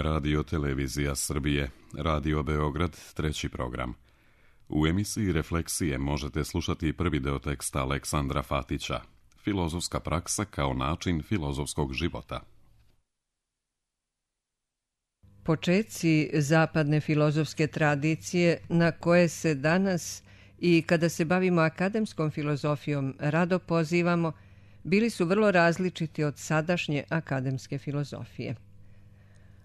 Radio Televizija Srbije, Radio Beograd, 3. program. U emisiji Refleksije možete slušati prvi deo teksta Aleksandra Fatića, Filozofska praksa kao način filozofskog života. Počeci zapadne filozofske tradicije na koje se danas i kada se bavimo akademskom filozofijom rado pozivamo, bili su vrlo različiti od sadašnje akademske filozofije.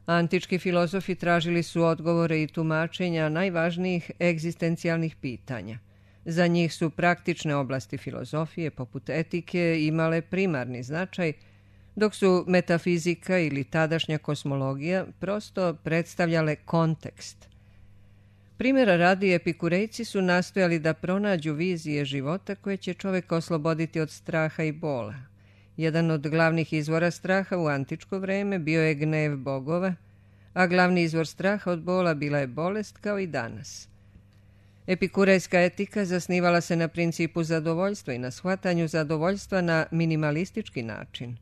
Antički filozofi tražili su odgovore i tumačenja najvažnijih egzistencijalnih pitanja. Za njih su praktične oblasti filozofije, poput etike, imale primarni značaj, dok su metafizika ili tadašnja kosmologija prosto predstavljale kontekst. Primjera radi, epikurejci su nastojali da pronađu vizije života koje će čoveka osloboditi od straha i bola. Jedan od glavnih izvora straha u antičko vreme bio je gnev bogova, a glavni izvor straha od bola bila je bolest, kao i danas. Epikurejska etika zasnivala se na principu zadovoljstva i na shvatanju zadovoljstva na minimalistički način.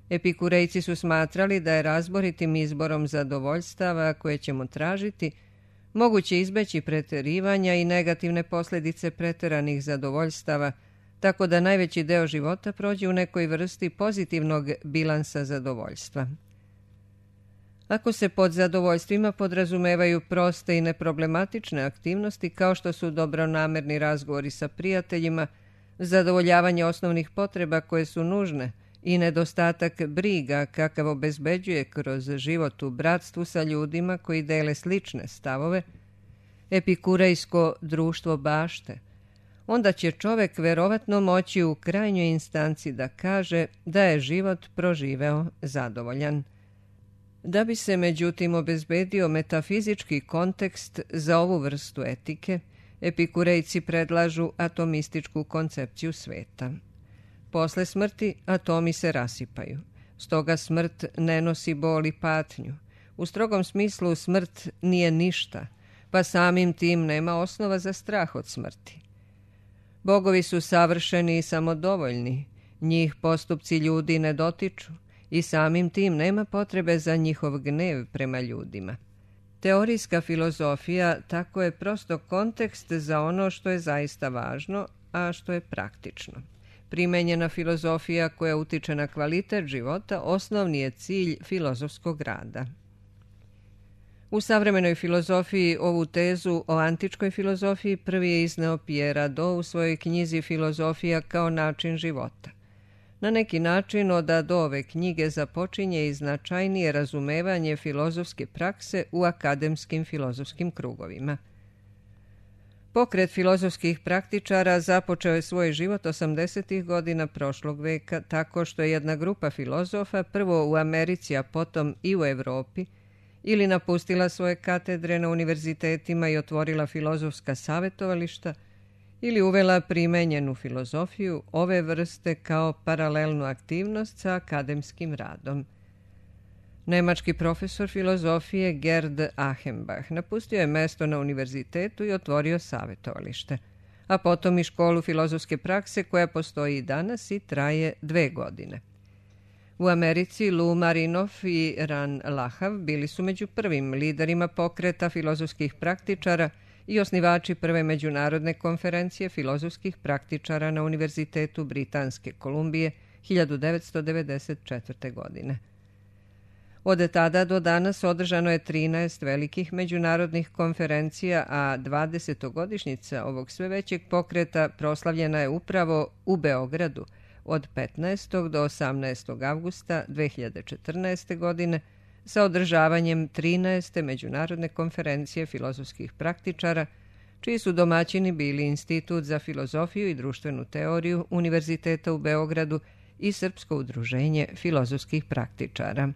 Epikurejci su smatrali da je razboritim izborom zadovoljstava koje ćemo tražiti moguće izbeći preterivanja i negativne posljedice preteranih zadovoljstava, tako da najveći deo života prođe u nekoj vrsti pozitivnog bilansa zadovoljstva. Ako se pod zadovoljstvima podrazumevaju proste i neproblematične aktivnosti kao što su dobronamerni razgovori sa prijateljima, zadovoljavanje osnovnih potreba koje su nužne i nedostatak briga kakav obezbeđuje kroz život u bratstvu sa ljudima koji dele slične stavove, epikurejsko društvo bašte, onda će čovek verovatno moći u krajnjoj instanci da kaže da je život proživeo zadovoljan. Da bi se međutim obezbedio metafizički kontekst za ovu vrstu etike, epikurejci predlažu atomističku koncepciju sveta. Posle smrti atomi se rasipaju, stoga smrt ne nosi bol i patnju. U strogom smislu smrt nije ništa, pa samim tim nema osnova za strah od smrti. Bogovi su savršeni i samodovoljni, njih postupci ljudi ne dotiču i samim tim nema potrebe za njihov gnev prema ljudima. Teorijska filozofija tako je prosto kontekst za ono što je zaista važno, a što je praktično. Primenjena filozofija koja utiče na kvalitet života osnovni je cilj filozofskog rada. U savremenoj filozofiji ovu tezu o antičkoj filozofiji prvi je izneo Pierre Hadot u svojoj knjizi Filozofija kao način života. Na neki način od Hadotove knjige započinje i značajnije razumevanje filozofske prakse u akademskim filozofskim krugovima. Pokret filozofskih praktičara započeo je svoj život 80. godina prošlog veka tako što je jedna grupa filozofa prvo u Americi, a potom i u Evropi ili napustila svoje katedre na univerzitetima i otvorila filozofska savjetovališta ili uvela primenjenu filozofiju ove vrste kao paralelnu aktivnost sa akademskim radom. Nemački profesor filozofije Gerd Achenbach napustio je mesto na univerzitetu i otvorio savjetovalište, a potom i školu filozofske prakse koja postoji i danas i traje 2 godine. U Americi Lou Marinoff i Ran Lahav bili su među prvim liderima pokreta filozofskih praktičara i osnivači prve međunarodne konferencije filozofskih praktičara na Univerzitetu Britanske Kolumbije 1994. godine. Od tada do danas održano je 13 velikih međunarodnih konferencija, a 20-godišnjica ovog sve većeg pokreta proslavljena je upravo u Beogradu od 15. do 18. avgusta 2014. godine sa održavanjem 13. međunarodne konferencije filozofskih praktičara, čiji su domaćini bili Institut za filozofiju i društvenu teoriju Univerziteta u Beogradu i Srpsko udruženje filozofskih praktičara.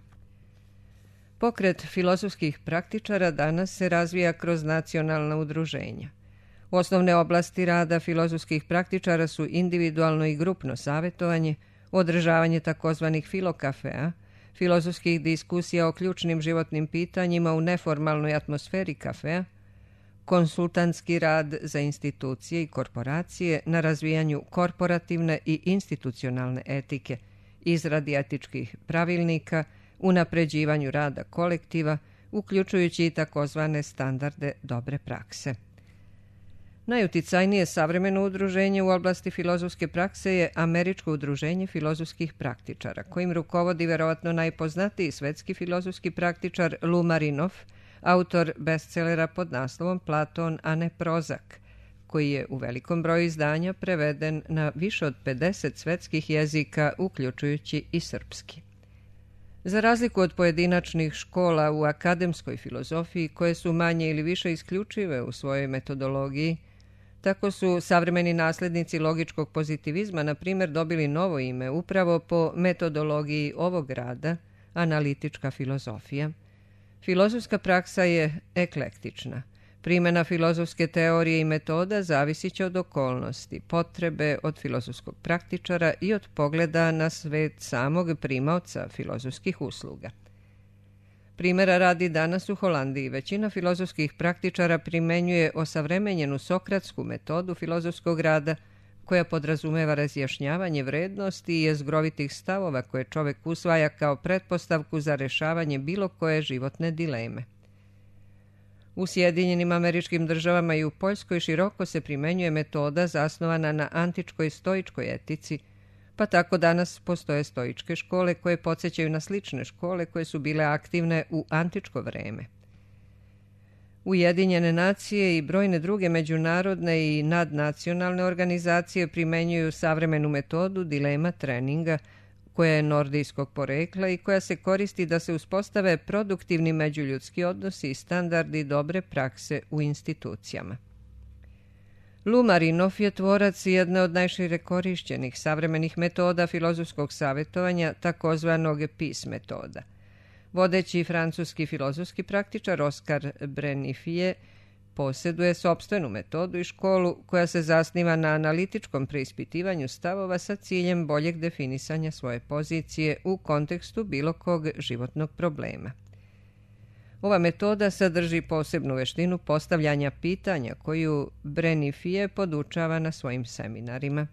Pokret filozofskih praktičara danas se razvija kroz nacionalna udruženja. Osnovne oblasti rada filozofskih praktičara su individualno i grupno savjetovanje, održavanje takozvanih filokafea, filozofskih diskusija o ključnim životnim pitanjima u neformalnoj atmosferi kafea, konsultantski rad za institucije i korporacije na razvijanju korporativne i institucionalne etike, izradi etičkih pravilnika, unapređivanju rada kolektiva, uključujući i takozvane standarde dobre prakse. Najuticajnije savremeno udruženje u oblasti filozofske prakse je Američko udruženje filozofskih praktičara, kojim rukovodi verovatno najpoznatiji svetski filozofski praktičar Lou Marinoff, autor bestselera pod naslovom Platon, a ne Prozak, koji je u velikom broju izdanja preveden na više od 50 svetskih jezika, uključujući i srpski. Za razliku od pojedinačnih škola u akademskoj filozofiji, koje su manje ili više isključive u svojoj metodologiji, tako su savremeni naslednici logičkog pozitivizma, na primjer, dobili novo ime upravo po metodologiji ovog rada, analitička filozofija. Filozofska praksa je eklektična. Primjena filozofske teorije i metoda zavisit će od okolnosti, potrebe od filozofskog praktičara i od pogleda na svet samog primaoca filozofskih usluga. Primjera radi, danas u Holandiji većina filozofskih praktičara primenjuje osavremenjenu sokratsku metodu filozofskog rada, koja podrazumeva razjašnjavanje vrednosti i jezgrovitih stavova koje čovek usvaja kao pretpostavku za rešavanje bilo koje životne dileme. U Sjedinjenim Američkim Državama i u Poljskoj široko se primenjuje metoda zasnovana na antičkoj stoičkoj etici, pa tako danas postoje stoičke škole koje podsjećaju na slične škole koje su bile aktivne u antičko vreme. Ujedinjene nacije i brojne druge međunarodne i nadnacionalne organizacije primenjuju savremenu metodu dilema treninga, koja je nordijskog porekla i koja se koristi da se uspostave produktivni međuljudski odnosi i standardi dobre prakse u institucijama. Lou Marinoff je tvorac jedne od najšire korišćenih savremenih metoda filozofskog savjetovanja, takozvanog PEACE metoda. Vodeći francuski filozofski praktičar Oskar Brennifije posjeduje sopstvenu metodu i školu koja se zasniva na analitičkom preispitivanju stavova sa ciljem boljeg definisanja svoje pozicije u kontekstu bilo kog životnog problema. Ova metoda sadrži posebnu veštinu postavljanja pitanja koju Brennifije podučava na svojim seminarima.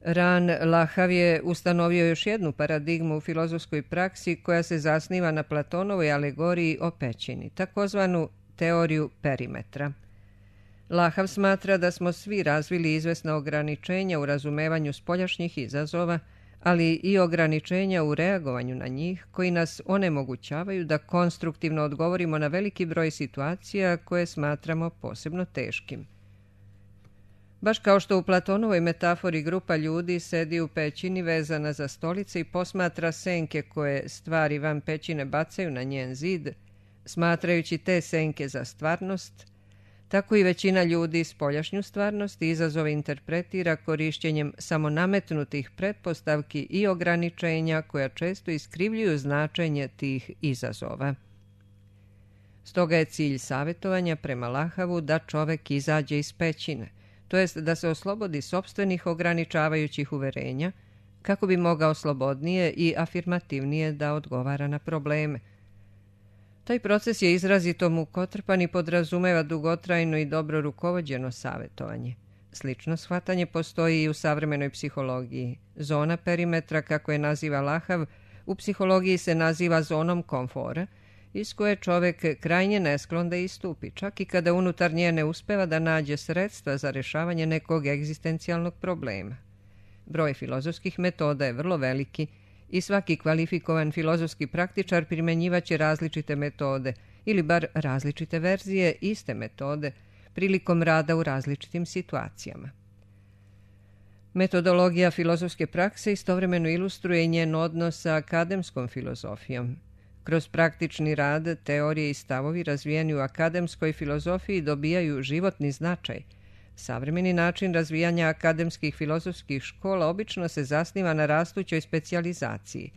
Ran Lahav je ustanovio još jednu paradigmu u filozofskoj praksi koja se zasniva na Platonovoj alegoriji o pećini, takozvanu teoriju perimetra. Lahav smatra da smo svi razvili izvesna ograničenja u razumevanju spoljašnjih izazova, ali i ograničenja u reagovanju na njih koji nas onemogućavaju da konstruktivno odgovorimo na veliki broj situacija koje smatramo posebno teškim. Baš kao što u Platonovoj metafori grupa ljudi sedi u pećini vezana za stolice i posmatra senke koje stvari van pećine bacaju na njen zid, smatrajući te senke za stvarnost, tako i većina ljudi spoljašnju stvarnost i izazove interpretira korišćenjem samonametnutih pretpostavki i ograničenja koja često iskrivljuju značenje tih izazova. Stoga je cilj savjetovanja prema Lahavu da čovek izađe iz pećine, to jest da se oslobodi sopstvenih ograničavajućih uverenja, kako bi mogao slobodnije i afirmativnije da odgovara na probleme. Taj proces je izrazito mukotrpan i podrazumeva dugotrajno i dobro rukovođeno savjetovanje. Slično shvatanje postoji i u savremenoj psihologiji. Zona perimetra, kako je naziva Lahav, u psihologiji se naziva zonom komfora, iz koje čovek krajnje nesklon da istupi, čak i kada unutar nje ne uspeva da nađe sredstva za rešavanje nekog egzistencijalnog problema. Broj filozofskih metoda je vrlo veliki i svaki kvalifikovan filozofski praktičar primenjivaće različite metode ili bar različite verzije iste metode prilikom rada u različitim situacijama. Metodologija filozofske prakse istovremeno ilustruje njen odnos sa akademskom filozofijom. Kroz praktični rad, teorije i stavovi razvijeni u akademskoj filozofiji dobijaju životni značaj. Savremeni način razvijanja akademskih filozofskih škola obično se zasniva na rastućoj specijalizaciji.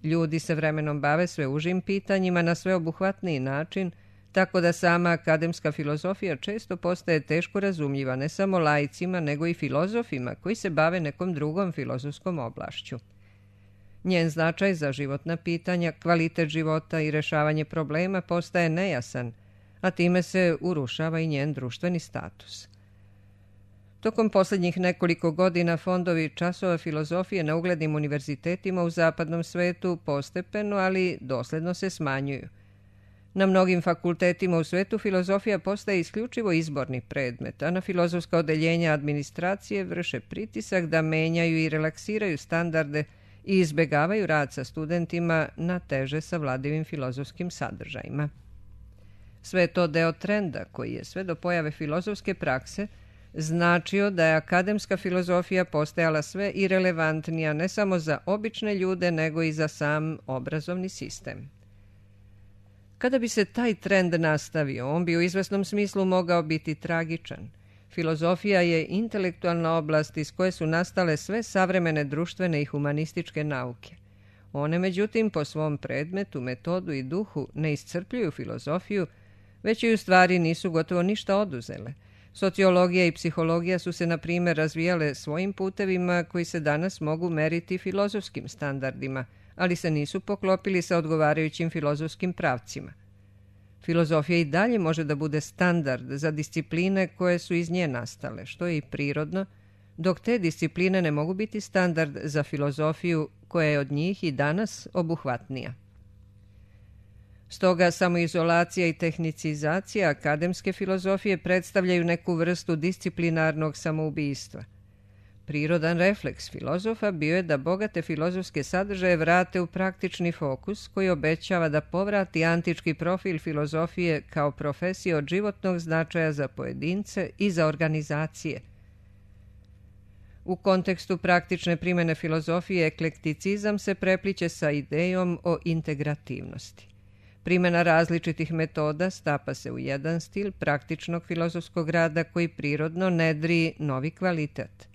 Ljudi se vremenom bave sve užim pitanjima na sveobuhvatniji način, tako da sama akademska filozofija često postaje teško razumljiva ne samo laicima, nego i filozofima koji se bave nekom drugom filozofskom oblašću. Njen značaj za životna pitanja, kvalitet života i rešavanje problema postaje nejasan, a time se urušava i njen društveni status. Tokom posljednjih nekoliko godina fondovi časova filozofije na uglednim univerzitetima u zapadnom svetu postepeno, ali dosledno se smanjuju. Na mnogim fakultetima u svetu filozofija postaje isključivo izborni predmet, a na filozofska odeljenja administracije vrše pritisak da menjaju i relaksiraju standarde i izbegavaju rad sa studentima na teže savladivim filozofskim sadržajima. Sve je to deo trenda koji je sve do pojave filozofske prakse značio da je akademska filozofija postajala sve irelevantnija ne samo za obične ljude, nego i za sam obrazovni sistem. Kada bi se taj trend nastavio, on bi u izvesnom smislu mogao biti tragičan. Filozofija je intelektualna oblast iz koje su nastale sve savremene društvene i humanističke nauke. One, međutim, po svom predmetu, metodu i duhu ne iscrpljuju filozofiju, već i u stvari nisu gotovo ništa oduzele. Sociologija i psihologija su se, na primjer, razvijale svojim putevima koji se danas mogu meriti filozofskim standardima, ali se nisu poklopili sa odgovarajućim filozofskim pravcima. Filozofija i dalje može da bude standard za discipline koje su iz nje nastale, što je i prirodno, dok te discipline ne mogu biti standard za filozofiju koja je od njih i danas obuhvatnija. Stoga samoizolacija i tehnicizacija akademske filozofije predstavljaju neku vrstu disciplinarnog samoubistva. Prirodan refleks filozofa bio je da bogate filozofske sadržaje vrate u praktični fokus koji obećava da povrati antički profil filozofije kao profesije od životnog značaja za pojedince i za organizacije. U kontekstu praktične primjene filozofije eklekticizam se prepliće sa idejom o integrativnosti. Primjena različitih metoda stapa se u jedan stil praktičnog filozofskog rada koji prirodno nedri novi kvalitet.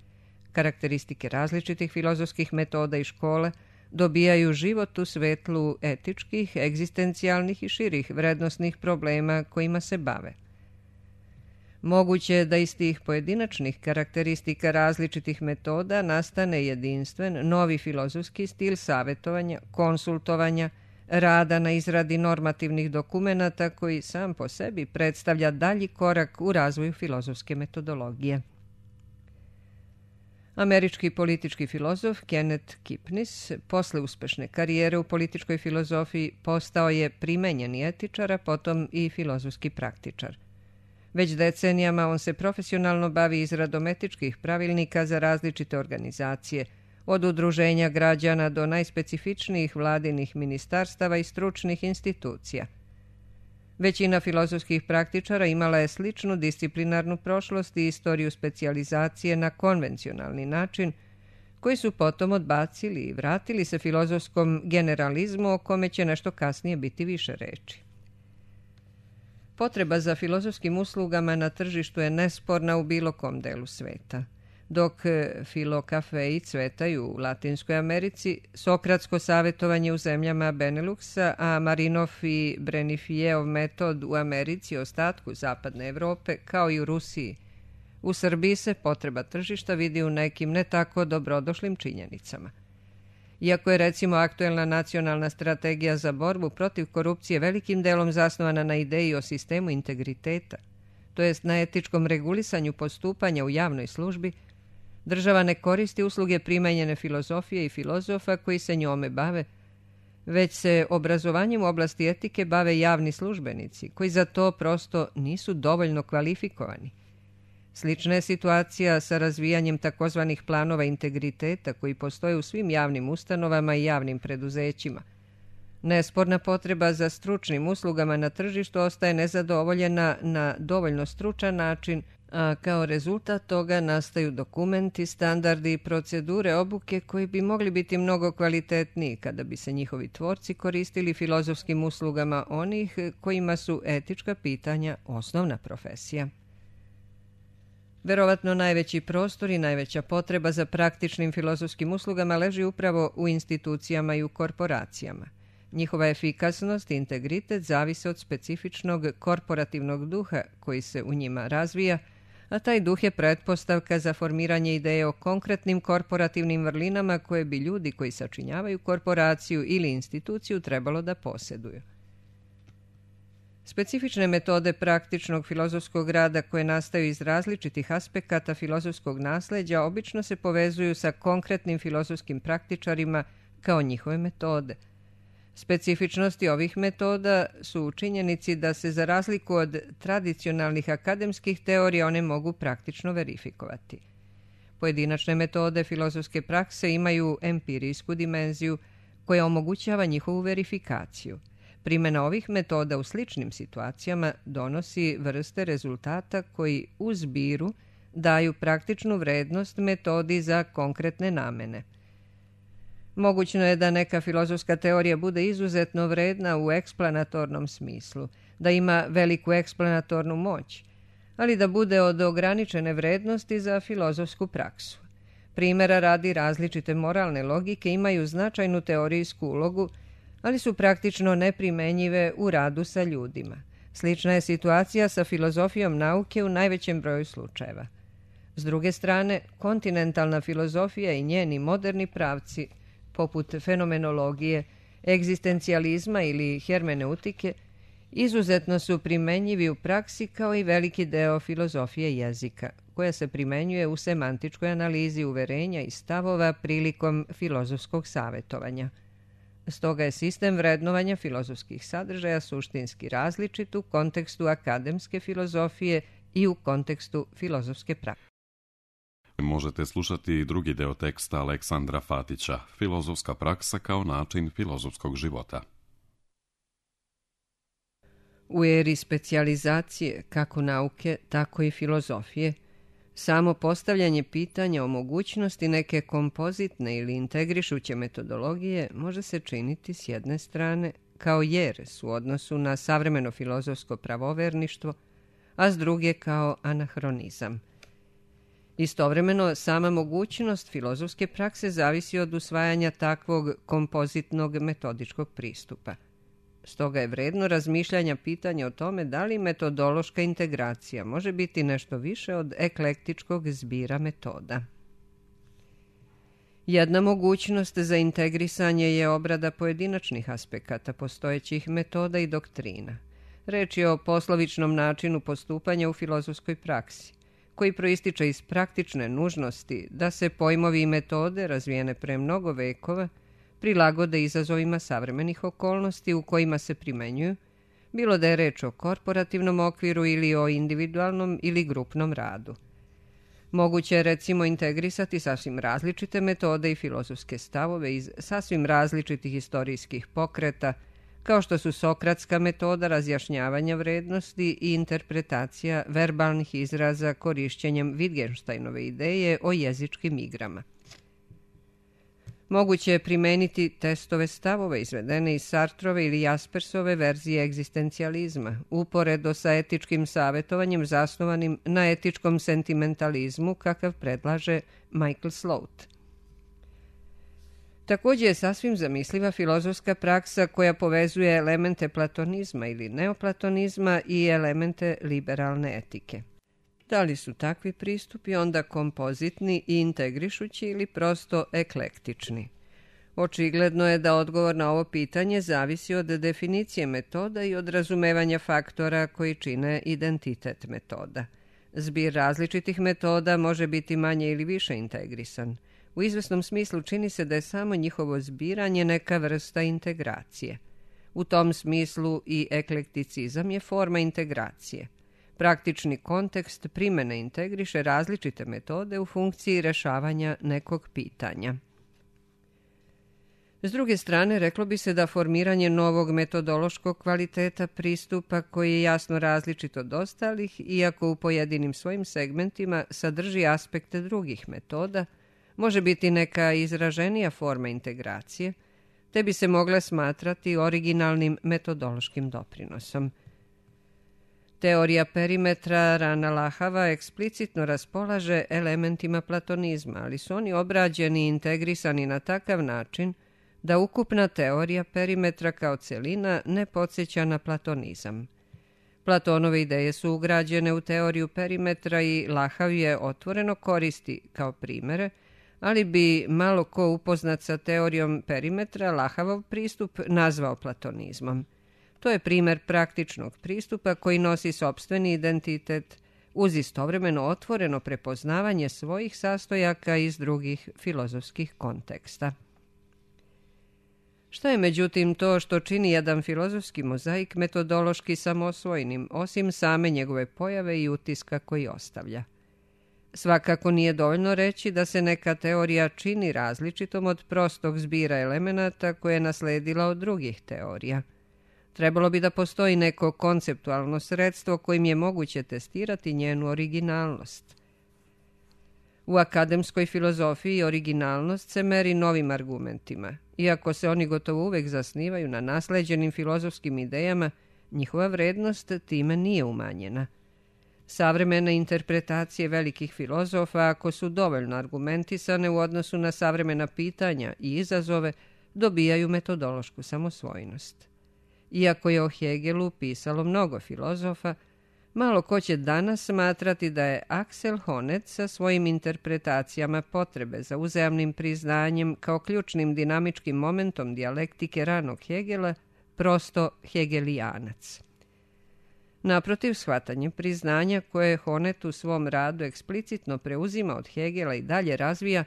Karakteristike različitih filozofskih metoda i škola dobijaju život u svetlu etičkih, egzistencijalnih i širih vrednosnih problema kojima se bave. Moguće je da iz tih pojedinačnih karakteristika različitih metoda nastane jedinstven, novi filozofski stil savjetovanja, konsultovanja, rada na izradi normativnih dokumenata koji sam po sebi predstavlja dalji korak u razvoju filozofske metodologije. Američki politički filozof Kenneth Kipnis, posle uspešne karijere u političkoj filozofiji, postao je primenjeni etičar, a potom i filozofski praktičar. Već decenijama on se profesionalno bavi izradom etičkih pravilnika za različite organizacije, od udruženja građana do najspecifičnijih vladinih ministarstava i stručnih institucija. Većina filozofskih praktičara imala je sličnu disciplinarnu prošlost i istoriju specijalizacije na konvencionalni način, koji su potom odbacili i vratili se filozofskom generalizmu o kome će nešto kasnije biti više reči. Potreba za filozofskim uslugama na tržištu je nesporna u bilo kom delu sveta. Dok filokafeji cvetaju u Latinskoj Americi, sokratsko savjetovanje u zemljama Beneluxa, a Marinov i Brenifijev metod u Americi i ostatku zapadne Evrope, kao i u Rusiji. U Srbiji se potreba tržišta vidi u nekim ne tako dobrodošlim činjenicama. Iako je recimo aktuelna nacionalna strategija za borbu protiv korupcije velikim delom zasnovana na ideji o sistemu integriteta, to jest na etičkom regulisanju postupanja u javnoj službi, država ne koristi usluge primenjene filozofije i filozofa koji se njome bave, već se obrazovanjem u oblasti etike bave javni službenici, koji za to prosto nisu dovoljno kvalifikovani. Slična je situacija sa razvijanjem takozvanih planova integriteta koji postoje u svim javnim ustanovama i javnim preduzećima. Nesporna potreba za stručnim uslugama na tržištu ostaje nezadovoljena na dovoljno stručan način, a kao rezultat toga nastaju dokumenti, standardi i procedure obuke koji bi mogli biti mnogo kvalitetniji kada bi se njihovi tvorci koristili filozofskim uslugama onih kojima su etička pitanja osnovna profesija. Verovatno najveći prostor i najveća potreba za praktičnim filozofskim uslugama leži upravo u institucijama i u korporacijama. Njihova efikasnost i integritet zavise od specifičnog korporativnog duha koji se u njima razvija, a taj duh je pretpostavka za formiranje ideje o konkretnim korporativnim vrlinama koje bi ljudi koji sačinjavaju korporaciju ili instituciju trebalo da posjeduju. Specifične metode praktičnog filozofskog rada koje nastaju iz različitih aspekata filozofskog nasleđa obično se povezuju sa konkretnim filozofskim praktičarima kao njihove metode. Specifičnosti ovih metoda su u činjenici da se za razliku od tradicionalnih akademskih teorija one mogu praktično verifikovati. Pojedinačne metode filozofske prakse imaju empirijsku dimenziju koja omogućava njihovu verifikaciju. Primjena ovih metoda u sličnim situacijama donosi vrste rezultata koji u zbiru daju praktičnu vrednost metodi za konkretne namene. Mogućno je da neka filozofska teorija bude izuzetno vredna u eksplanatornom smislu, da ima veliku eksplanatornu moć, ali da bude od ograničene vrednosti za filozofsku praksu. Primjera radi, različite moralne logike imaju značajnu teorijsku ulogu, ali su praktično neprimenjive u radu sa ljudima. Slična je situacija sa filozofijom nauke u najvećem broju slučajeva. S druge strane, kontinentalna filozofija i njeni moderni pravci, poput fenomenologije, egzistencijalizma ili hermeneutike, izuzetno su primenjivi u praksi kao i veliki deo filozofije jezika, koja se primenjuje u semantičkoj analizi uverenja i stavova prilikom filozofskog savjetovanja. Stoga je sistem vrednovanja filozofskih sadržaja suštinski različit u kontekstu akademske filozofije i u kontekstu filozofske prakse. Možete slušati i drugi deo teksta Aleksandra Fatića, Filozofska praksa kao način filozofskog života. U eri specijalizacije, kako nauke, tako i filozofije, samo postavljanje pitanja o mogućnosti neke kompozitne ili integrišuće metodologije može se činiti s jedne strane kao jeres u odnosu na savremeno filozofsko pravoverništvo, a s druge kao anahronizam. Istovremeno, sama mogućnost filozofske prakse zavisi od usvajanja takvog kompozitnog metodičkog pristupa. Stoga je vredno razmišljanja pitanja o tome da li metodološka integracija može biti nešto više od eklektičkog zbira metoda. Jedna mogućnost za integrisanje je obrada pojedinačnih aspekata postojećih metoda i doktrina. Reč je o poslovičnom načinu postupanja u filozofskoj praksi, koji proističe iz praktične nužnosti da se pojmovi i metode razvijene pre mnogo vekova prilagode izazovima savremenih okolnosti u kojima se primenjuju, bilo da je reč o korporativnom okviru ili o individualnom ili grupnom radu. Moguće je recimo integrisati sasvim različite metode i filozofske stavove iz sasvim različitih istorijskih pokreta, kao što su sokratska metoda razjašnjavanja vrednosti i interpretacija verbalnih izraza korišćenjem Wittgensteinove ideje o jezičkim igrama. Moguće je primeniti testove stavove izvedene iz Sartrove ili Jaspersove verzije egzistencijalizma, uporedo sa etičkim savjetovanjem zasnovanim na etičkom sentimentalizmu kakav predlaže Michael Sloat. Također je sasvim zamisliva filozofska praksa koja povezuje elemente platonizma ili neoplatonizma i elemente liberalne etike. Da li su takvi pristupi onda kompozitni i integrišući ili prosto eklektični? Očigledno je da odgovor na ovo pitanje zavisi od definicije metoda i od razumevanja faktora koji čine identitet metoda. Zbir različitih metoda može biti manje ili više integrisan. U izvesnom smislu čini se da je samo njihovo zbiranje neka vrsta integracije. U tom smislu i eklekticizam je forma integracije. Praktični kontekst primjene integriše različite metode u funkciji rešavanja nekog pitanja. S druge strane, reklo bi se da formiranje novog metodološkog kvaliteta pristupa koji je jasno različit od ostalih, iako u pojedinim svojim segmentima sadrži aspekte drugih metoda, može biti neka izraženija forma integracije, te bi se mogla smatrati originalnim metodološkim doprinosom. Teorija perimetra Rana Lahava eksplicitno raspolaže elementima platonizma, ali su oni obrađeni i integrisani na takav način da ukupna teorija perimetra kao celina ne podsjeća na platonizam. Platonove ideje su ugrađene u teoriju perimetra i Lahav je otvoreno koristi kao primere, ali bi malo ko upoznat sa teorijom perimetra Lahavov pristup nazvao platonizmom. To je primer praktičnog pristupa koji nosi sopstveni identitet uz istovremeno otvoreno prepoznavanje svojih sastojaka iz drugih filozofskih konteksta. Šta je međutim to što čini jedan filozofski mozaik metodološki samoosvojnim, osim same njegove pojave i utiska koji ostavlja? Svakako nije dovoljno reći da se neka teorija čini različitom od prostog zbira elemenata koje je nasledila od drugih teorija. Trebalo bi da postoji neko konceptualno sredstvo kojim je moguće testirati njenu originalnost. U akademskoj filozofiji originalnost se meri novim argumentima. Iako se oni gotovo uvek zasnivaju na nasleđenim filozofskim idejama, njihova vrednost time nije umanjena. Savremene interpretacije velikih filozofa, ako su dovoljno argumentisane u odnosu na savremena pitanja i izazove, dobijaju metodološku samosvojnost. Iako je o Hegelu pisalo mnogo filozofa, malo ko će danas smatrati da je Axel Honneth sa svojim interpretacijama potrebe za uzajamnim priznanjem kao ključnim dinamičkim momentom dijalektike ranog Hegela prosto hegelijanac. Naprotiv, shvatanje priznanja koje Honneth u svom radu eksplicitno preuzima od Hegela i dalje razvija,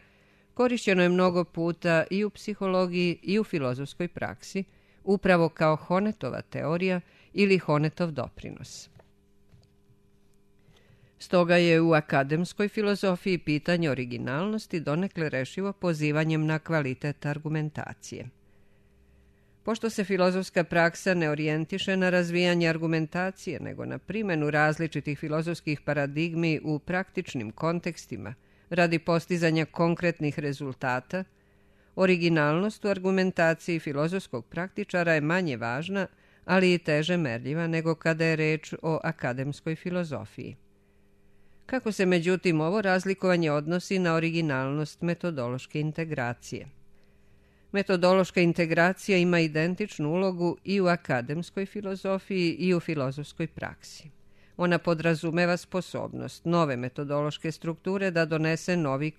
korišćeno je mnogo puta i u psihologiji i u filozofskoj praksi, upravo kao Honnethova teorija ili Honnethov doprinos. Stoga je u akademskoj filozofiji pitanje originalnosti donekle rešivo pozivanjem na kvalitet argumentacije. Pošto se filozofska praksa ne orijentiše na razvijanje argumentacije, nego na primjenu različitih filozofskih paradigmi u praktičnim kontekstima radi postizanja konkretnih rezultata, originalnost u argumentaciji filozofskog praktičara je manje važna, ali i teže merljiva nego kada je reč o akademskoj filozofiji. Kako se međutim ovo razlikovanje odnosi na originalnost metodološke integracije? Metodološka integracija ima identičnu ulogu i u akademskoj filozofiji i u filozofskoj praksi. Ona podrazumeva sposobnost nove metodološke strukture da donese novi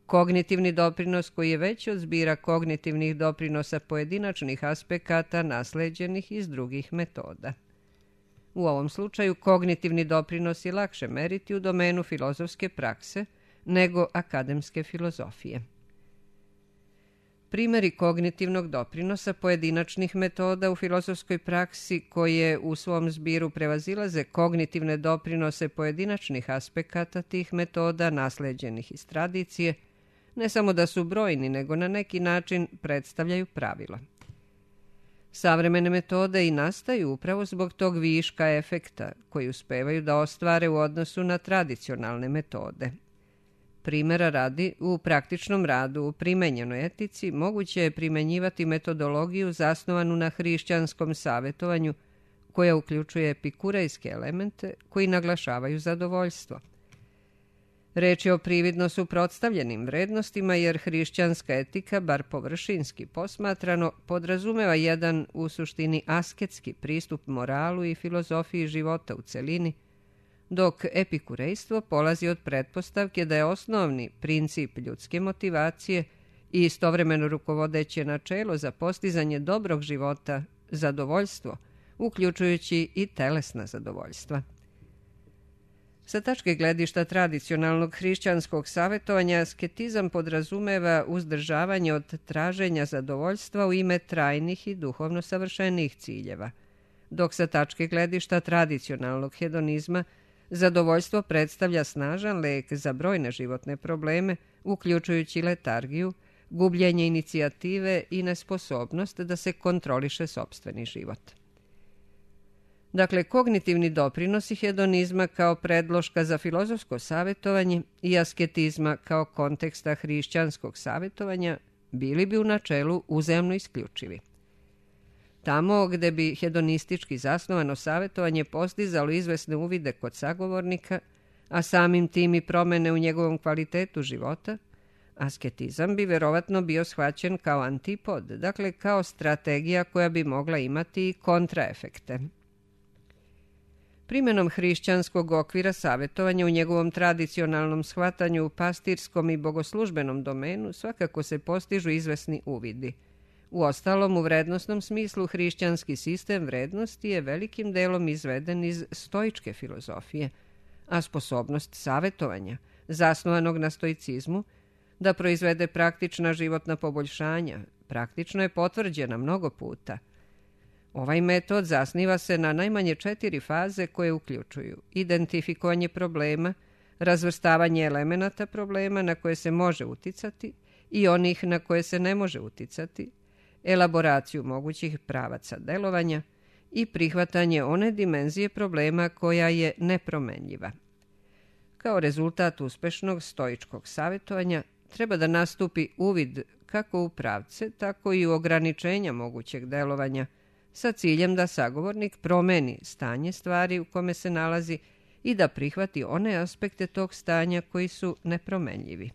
kognitivni doprinos koji je veći od zbira kognitivnih doprinosa pojedinačnih aspekata nasleđenih iz drugih metoda. U ovom slučaju kognitivni doprinos je lakše meriti u domenu filozofske prakse nego akademske filozofije. Primjeri kognitivnog doprinosa pojedinačnih metoda u filozofskoj praksi koje u svom zbiru prevazilaze kognitivne doprinose pojedinačnih aspekata tih metoda nasleđenih iz tradicije, ne samo da su brojni, nego na neki način predstavljaju pravila. Savremene metode i nastaju upravo zbog tog viška efekta koji uspevaju da ostvare u odnosu na tradicionalne metode. Primjera radi, u praktičnom radu u primenjenoj etici moguće je primenjivati metodologiju zasnovanu na hrišćanskom savjetovanju koja uključuje epikurejske elemente koji naglašavaju zadovoljstvo. Reč je o prividno suprotstavljenim vrednostima jer hrišćanska etika, bar površinski posmatrano, podrazumeva jedan u suštini asketski pristup moralu i filozofiji života u celini, dok epikurejstvo polazi od pretpostavke da je osnovni princip ljudske motivacije i istovremeno rukovodeće načelo za postizanje dobrog života zadovoljstvo, uključujući i telesna zadovoljstva. Sa tačke gledišta tradicionalnog hrišćanskog savjetovanja, asketizam podrazumeva uzdržavanje od traženja zadovoljstva u ime trajnih i duhovno savršenih ciljeva, dok sa tačke gledišta tradicionalnog hedonizma zadovoljstvo predstavlja snažan lek za brojne životne probleme, uključujući letargiju, gubljenje inicijative i nesposobnost da se kontroliše sopstveni život. Dakle, kognitivni doprinosi hedonizma kao predloška za filozofsko savjetovanje i asketizma kao konteksta hrišćanskog savjetovanja bili bi u načelu uzajamno isključivi. Tamo gde bi hedonistički zasnovano savjetovanje postizalo izvesne uvide kod sagovornika, a samim tim i promene u njegovom kvalitetu života, asketizam bi verovatno bio shvaćen kao antipod, dakle kao strategija koja bi mogla imati i kontraefekte. Primjenom hrišćanskog okvira savjetovanja u njegovom tradicionalnom shvatanju u pastirskom i bogoslužbenom domenu svakako se postižu izvesni uvidi. Uostalom, u vrednosnom smislu hrišćanski sistem vrednosti je velikim delom izveden iz stoičke filozofije, a sposobnost savjetovanja, zasnovanog na stoicizmu, da proizvede praktična životna poboljšanja, praktično je potvrđena mnogo puta. Ovaj metod zasniva se na najmanje 4 faze koje uključuju identifikovanje problema, razvrstavanje elemenata problema na koje se može uticati i onih na koje se ne može uticati, elaboraciju mogućih pravaca delovanja i prihvatanje one dimenzije problema koja je nepromenljiva. Kao rezultat uspešnog stoičkog savjetovanja treba da nastupi uvid kako u pravce, tako i u ograničenja mogućeg delovanja, sa ciljem da sagovornik promeni stanje stvari u kome se nalazi i da prihvati one aspekte tog stanja koji su nepromenljivi.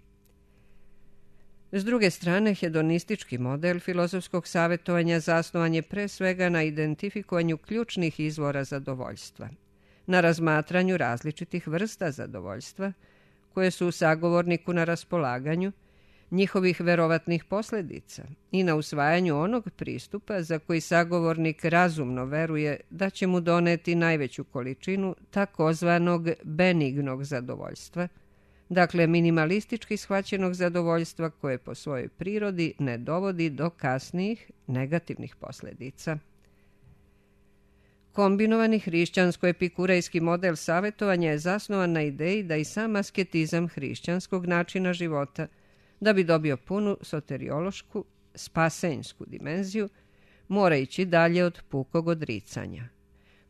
S druge strane, hedonistički model filozofskog savjetovanja zasnovan je pre svega na identifikovanju ključnih izvora zadovoljstva, na razmatranju različitih vrsta zadovoljstva koje su sagovorniku na raspolaganju, njihovih verovatnih posljedica i na usvajanju onog pristupa za koji sagovornik razumno veruje da će mu doneti najveću količinu takozvanog benignog zadovoljstva, dakle minimalistički shvaćenog zadovoljstva koje po svojoj prirodi ne dovodi do kasnijih negativnih posljedica. Kombinovani hrišćansko-epikurejski model savjetovanja je zasnovan na ideji da i sam asketizam hrišćanskog načina života, da bi dobio punu soteriološku, spasenjsku dimenziju, mora ići dalje od pukog odricanja.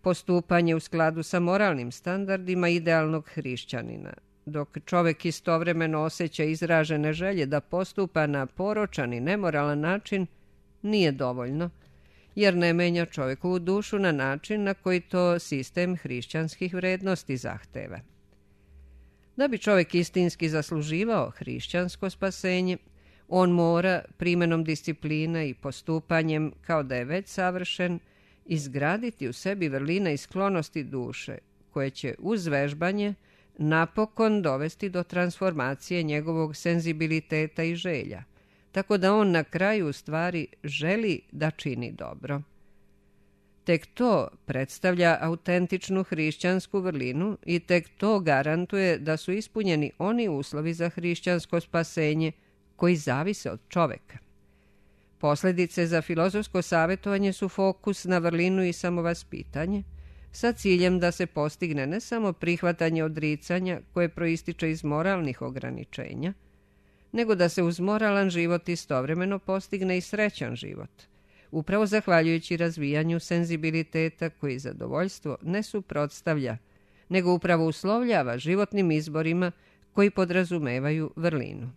Postupanje u skladu sa moralnim standardima idealnog hrišćanina, dok čovek istovremeno osjeća izražene želje da postupa na poročan i nemoralan način, nije dovoljno, jer ne menja čovekovu dušu na način na koji to sistem hrišćanskih vrednosti zahteva. Da bi čovjek istinski zasluživao hrišćansko spasenje, on mora primenom discipline i postupanjem, kao da je već savršen, izgraditi u sebi vrline i sklonosti duše, koje će uz vežbanje napokon dovesti do transformacije njegovog senzibiliteta i želja, tako da on na kraju u stvari želi da čini dobro. Tek to predstavlja autentičnu hrišćansku vrlinu i tek to garantuje da su ispunjeni oni uslovi za hrišćansko spasenje koji zavise od čoveka. Posljedice za filozofsko savjetovanje su fokus na vrlinu i samovaspitanje, sa ciljem da se postigne ne samo prihvatanje odricanja koje proističe iz moralnih ograničenja, nego da se uz moralan život istovremeno postigne i srećan život, upravo zahvaljujući razvijanju senzibiliteta koji zadovoljstvo ne suprotstavlja, nego upravo uslovljava životnim izborima koji podrazumevaju vrlinu.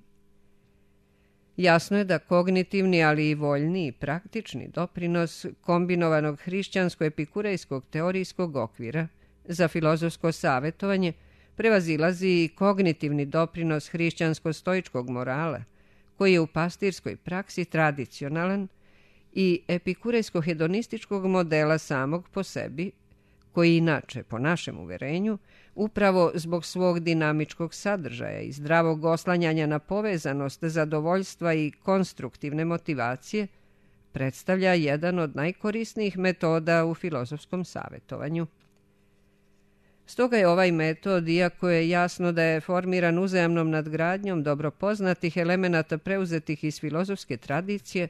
Jasno je da kognitivni, ali i voljni i praktični doprinos kombinovanog hrišćansko-epikurejskog teorijskog okvira za filozofsko savjetovanje prevazilazi i kognitivni doprinos hrišćansko-stoičkog morala, koji je u pastirskoj praksi tradicionalan, i epikurejsko-hedonističkog modela samog po sebi, koji inače, po našem uverenju, upravo zbog svog dinamičkog sadržaja i zdravog oslanjanja na povezanost zadovoljstva i konstruktivne motivacije, predstavlja jedan od najkorisnijih metoda u filozofskom savjetovanju. Stoga je ovaj metod, iako je jasno da je formiran uzajamnom nadgradnjom dobro poznatih elemenata preuzetih iz filozofske tradicije,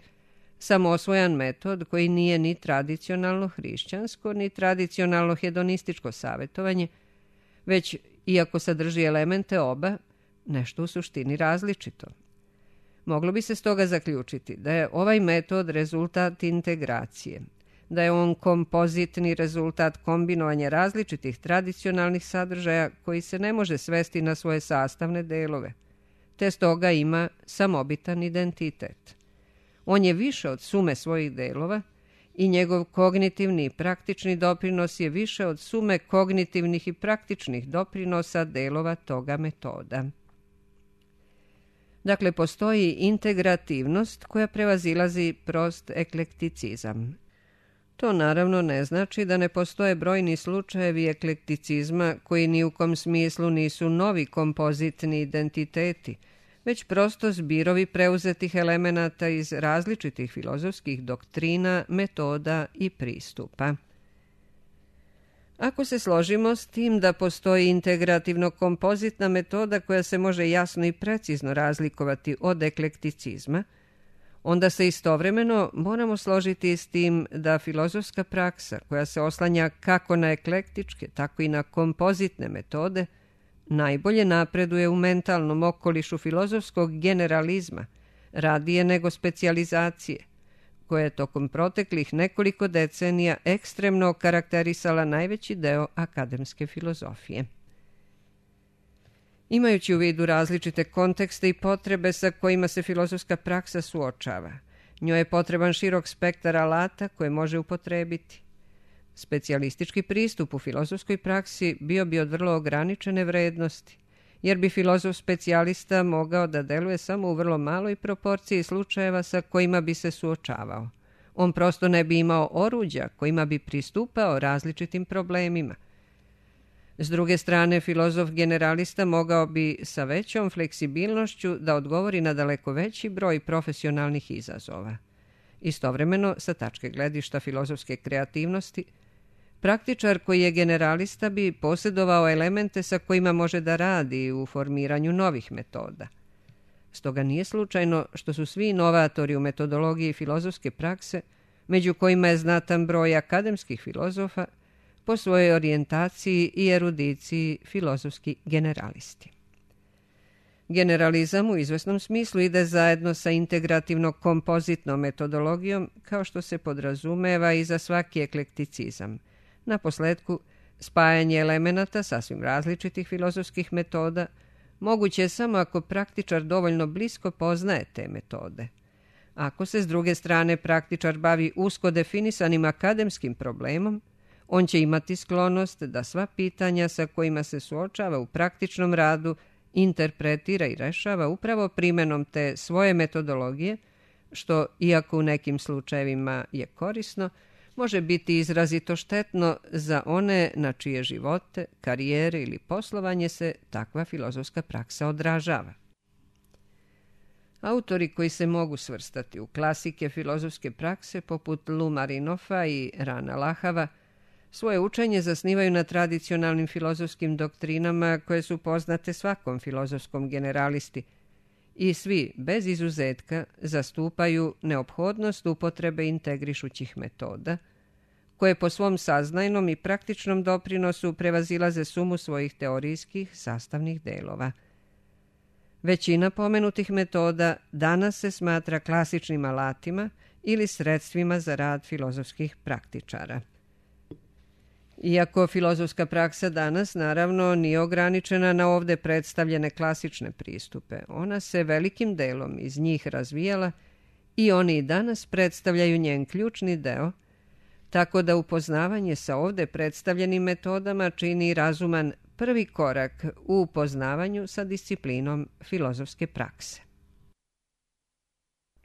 samoosvojan metod koji nije ni tradicionalno hrišćansko, ni tradicionalno hedonističko savjetovanje, već, iako sadrži elemente oba, nešto u suštini različito. Moglo bi se stoga zaključiti da je ovaj metod rezultat integracije, da je on kompozitni rezultat kombinovanja različitih tradicionalnih sadržaja koji se ne može svesti na svoje sastavne delove, te stoga ima samobitan identitet. On je više od sume svojih delova i njegov kognitivni i praktični doprinos je više od sume kognitivnih i praktičnih doprinosa delova toga metoda. Dakle, postoji integrativnost koja prevazilazi prost eklekticizam. To naravno ne znači da ne postoje brojni slučajevi eklekticizma koji ni u kom smislu nisu novi kompozitni identiteti, već prosto zbirovi preuzetih elemenata iz različitih filozofskih doktrina, metoda i pristupa. Ako se složimo s tim da postoji integrativno-kompozitna metoda koja se može jasno i precizno razlikovati od eklekticizma, onda se istovremeno moramo složiti s tim da filozofska praksa, koja se oslanja kako na eklektičke, tako i na kompozitne metode, najbolje napreduje u mentalnom okolišu filozofskog generalizma, radije nego specijalizacije, koja je tokom proteklih nekoliko decenija ekstremno karakterisala najveći deo akademske filozofije. Imajući u vidu različite kontekste i potrebe sa kojima se filozofska praksa suočava, njoj je potreban širok spektar alata koje može upotrebiti. Specijalistički pristup u filozofskoj praksi bio bi od vrlo ograničene vrednosti, jer bi filozof specijalista mogao da deluje samo u vrlo maloj proporciji slučajeva sa kojima bi se suočavao. On prosto ne bi imao oruđa kojima bi pristupao različitim problemima. S druge strane, filozof generalista mogao bi sa većom fleksibilnošću da odgovori na daleko veći broj profesionalnih izazova. Istovremeno, sa tačke gledišta filozofske kreativnosti, praktičar koji je generalista bi posjedovao elemente sa kojima može da radi u formiranju novih metoda. Stoga nije slučajno što su svi inovatori u metodologiji filozofske prakse, među kojima je znatan broj akademskih filozofa, po svojoj orijentaciji i erudiciji filozofski generalisti. Generalizam u izvesnom smislu ide zajedno sa integrativno-kompozitnom metodologijom, kao što se podrazumeva i za svaki eklekticizam. Naposletku, spajanje elemenata sasvim različitih filozofskih metoda moguće je samo ako praktičar dovoljno blisko poznaje te metode. Ako se s druge strane praktičar bavi usko definisanim akademskim problemom, on će imati sklonost da sva pitanja sa kojima se suočava u praktičnom radu interpretira i rešava upravo primenom te svoje metodologije, što, iako u nekim slučajevima je korisno, može biti izrazito štetno za one na čije živote, karijere ili poslovanje se takva filozofska praksa odražava. Autori koji se mogu svrstati u klasike filozofske prakse poput Lou Marinofa i Rana Lahava svoje učenje zasnivaju na tradicionalnim filozofskim doktrinama koje su poznate svakom filozofskom generalisti i svi, bez izuzetka, zastupaju neophodnost upotrebe integrišućih metoda, koje po svom saznajnom i praktičnom doprinosu prevazilaze sumu svojih teorijskih sastavnih delova. Većina pomenutih metoda danas se smatra klasičnim alatima ili sredstvima za rad filozofskih praktičara. Iako filozofska praksa danas, naravno, nije ograničena na ovde predstavljene klasične pristupe, ona se velikim delom iz njih razvijala i oni i danas predstavljaju njen ključni deo, tako da upoznavanje sa ovde predstavljenim metodama čini razuman prvi korak u upoznavanju sa disciplinom filozofske prakse.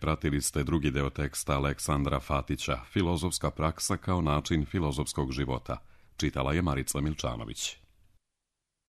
Pratili ste drugi deo teksta Aleksandra Fatića, Filozofska praksa kao način filozofskog života. Čitala je Marica Milčanović.